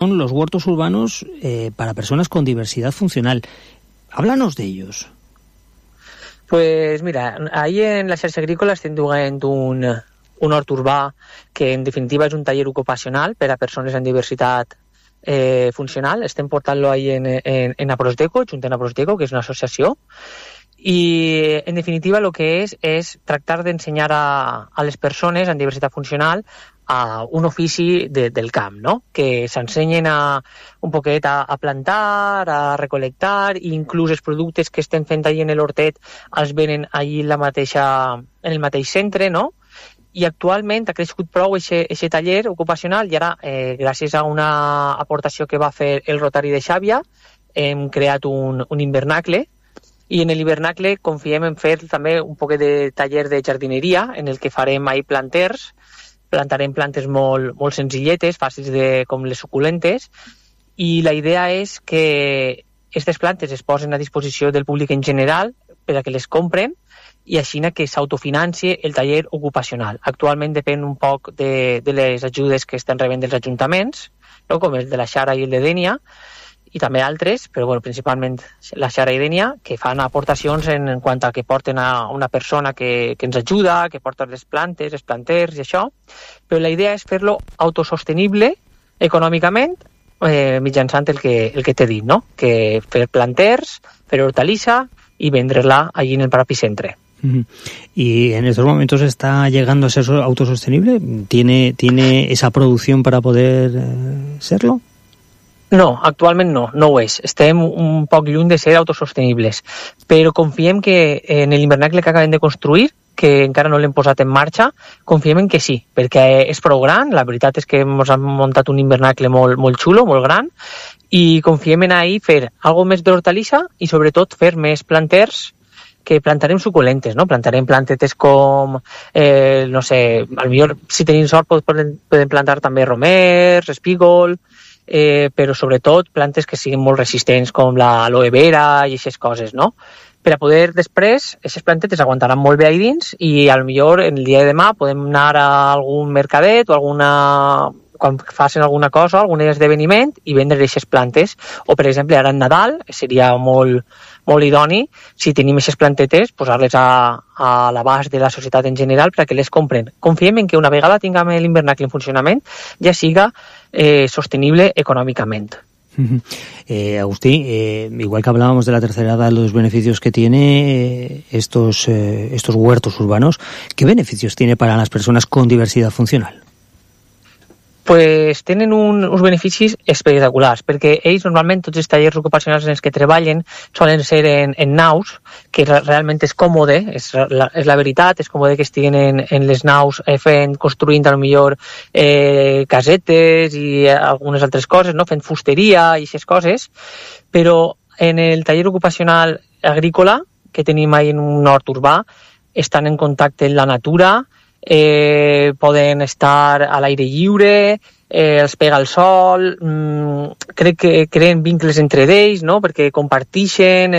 son los huertos urbanos para personas con diversidad funcional. Háblanos de ellos. Pues mira, ahí en la xarxa agrícola estem duent un hort urbà que en definitiva és un taller ocupacional per a persones amb diversitat funcional. Estem portant-lo ahí en Aprosdeco, junt amb Aprosdeco, que és una associació, i en definitiva el que és tractar d'ensenyar a les persones amb diversitat funcional a un ofici del camp, no? Que s'ensenyen un poquet a plantar, a recolectar, i inclús els productes que estem fent allà en l'hortet els venen allà en el mateix centre, no? I actualment ha crescut prou aquest taller ocupacional i ara, gràcies a una aportació que va fer el Rotari de Xàbia, hem creat un hivernacle, i en l'hivernacle confiem en fer també un poquet de taller de jardineria en el que farem ahí planters. Plantarem plantes molt senzilletes, fàcils com les suculentes, i la idea és que aquestes plantes es posen a disposició del públic en general per a que les compren i així que s'autofinanci el taller ocupacional. Actualment depèn un poc de les ajudes que estan rebent dels ajuntaments, no? Com el de la Xara i el de Dénia, i també altres, però bueno, principalment la Xara i Dénia, que fan aportacions en quant a que porten a una persona que ens ajuda, que porta les plantes, els planters i això, però la idea és fer-lo autosostenible econòmicament mitjançant el que t'he dit, no? Que fer planters, fer hortalissa i vendre-la allí en el propi centre. ¿Y en estos momentos está llegando a ser autosostenible? ¿Tiene esa producción para poder serlo? No, actualment no ho és. Estem un poc lluny de ser autosostenibles, però confiem que en l'hivernacle que acabem de construir, que encara no l'hem posat en marxa, confiem en que sí, perquè és prou gran, la veritat és que hem muntat un hivernacle molt xulo, molt gran, i confiem en ahir fer algo més d'hortalissa i sobretot fer més planters, que plantarem suculentes, no? Plantarem plantetes com, no sé, potser si tenim sort podem plantar també romers, espígol, però sobretot plantes que siguin molt resistents com l'aloe vera i aquestes coses, no? Per a poder després, aquestes plantetes aguantaran molt bé ahí dins i potser el dia de demà podem anar a algun mercadet o quan facin alguna cosa, algun esdeveniment i vendre aquestes plantes. O per exemple ara en Nadal seria molt idoni, si tenim aquestes plantetes, posar-les a l'abast de la societat en general perquè les compren. Confiem en que una vegada tinguem l'hivernacle en funcionament ja siga sostenible econòmicament. Agustí, igual que hablábamos de la tercera edad, los beneficios que tiene estos huertos urbanos, ¿qué beneficios tiene para las personas con diversidad funcional? Pues tenen uns beneficis espectaculars, perquè ells normalment tots els tallers ocupacionals en els que treballen solen ser en naus, que realment és còmode, és la veritat, és còmode que estiguen en les naus construint potser casetes i algunes altres coses, no? Fent fusteria i aquestes coses, però en el taller ocupacional agrícola que tenim ahí en un hort urbà estan en contacte amb la natura, poden estar a l'aire lliure, els pega el sol, crec que creen vincles entre ells, no? Perquè comparteixen,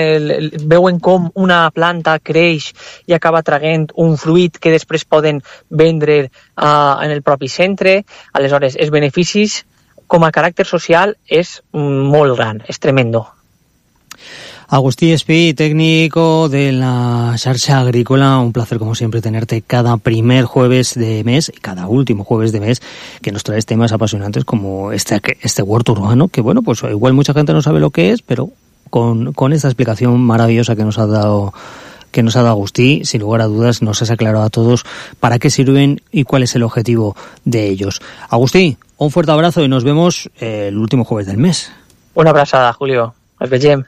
veuen com una planta creix i acaba traient un fruit que després poden vendre en el propi centre. Aleshores, els beneficis com a caràcter social és molt gran, és tremendo. Agustí Espí, técnico de la Xarxa Agrícola, un placer como siempre tenerte cada primer jueves de mes y cada último jueves de mes, que nos traes temas apasionantes como este huerto urbano, que bueno, pues igual mucha gente no sabe lo que es, pero con esta explicación maravillosa que nos ha dado Agustí, sin lugar a dudas nos has aclarado a todos para qué sirven y cuál es el objetivo de ellos. Agustí, un fuerte abrazo y nos vemos el último jueves del mes. Una abraçada, Julio. Ens vegem.